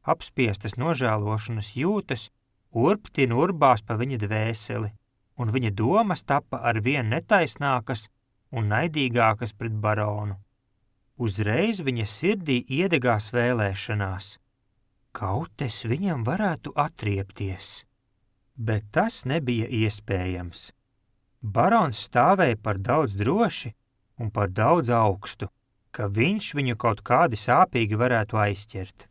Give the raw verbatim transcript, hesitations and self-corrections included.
apspiestas nožēlošanas jūtas urptin urbās pa viņa dvēseli, un viņa domas tapa ar vien netaisnākas un naidīgākas pret baronu. Uzreiz viņa sirdī iedegās vēlēšanās. Kaut es viņam varētu atriepties. Bet tas nebija iespējams. Barons stāvēja par daudz droši un par daudz augstu, ka viņš viņu kaut kādi sāpīgi varētu aizķert.